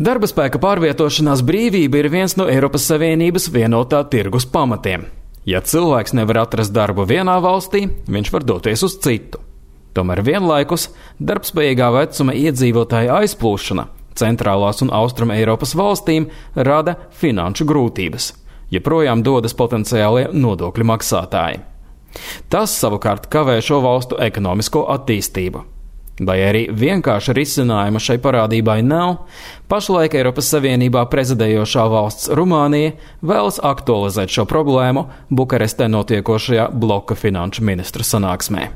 Darba spēka pārvietošanās brīvība ir viens no Eiropas Savienības vienotā tirgus pamatiem. Ja cilvēks nevar atrast darbu vienā valstī, viņš var doties uz citu. Tomēr vienlaikus darbspējīgā vecuma iedzīvotāja aizplūšana centrālās un austruma Eiropas valstīm rada finanšu grūtības, ja projām dodas potenciālie nodokļu maksātāji. Tas savukārt kavē šo valstu ekonomisko attīstību. Lai arī vienkārša risinājuma šai parādībai nav, pašlaik Eiropas Savienībā prezidējošā valsts Rumānija vēlas aktualizēt šo problēmu Bukarestē notiekošajā bloka finanšu ministru sanāksmē.